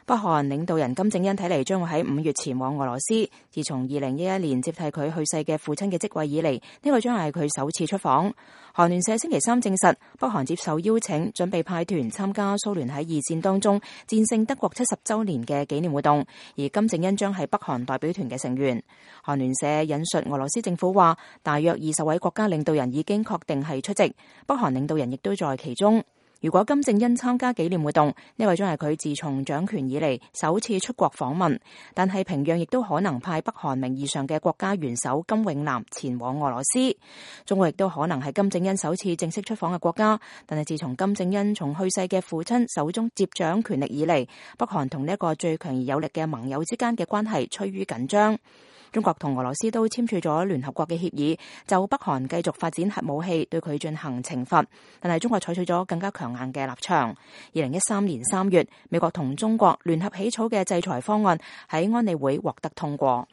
北韓領導人金正恩睇嚟將會喺5月前往俄羅斯。自從2011年接替佢去世嘅父親嘅職位以嚟，呢個將係佢首次出訪。韓聯社星期三證實，北韓接受邀請，準備派團參加蘇聯喺二戰當中戰勝德國70週年嘅紀念活動，而金正恩將係北韓代表團嘅成員。韓聯社引述俄羅斯政府話，大約20位國家領導人已經確定係出席，北韓領導人亦都在其中。如果金正恩參加紀念活動，呢位將係佢自從掌權以嚟首次出國訪問，但係平壤亦都可能派北韓名義上嘅國家元首金永南前往俄羅斯。中國亦都可能係金正恩首次正式出訪嘅國家，但係自從金正恩從去世嘅父親手中接掌權力以嚟，北韓同呢一個最強而有力嘅盟友之間嘅關係趨於緊張。中國同俄羅斯都簽署咗聯合國嘅協議，就北韓繼續發展核武器對佢進行懲罰，但係中國採取咗更加強硬嘅立場。2013年3月，美國同中國聯合起草嘅制裁方案喺安理會獲得通過。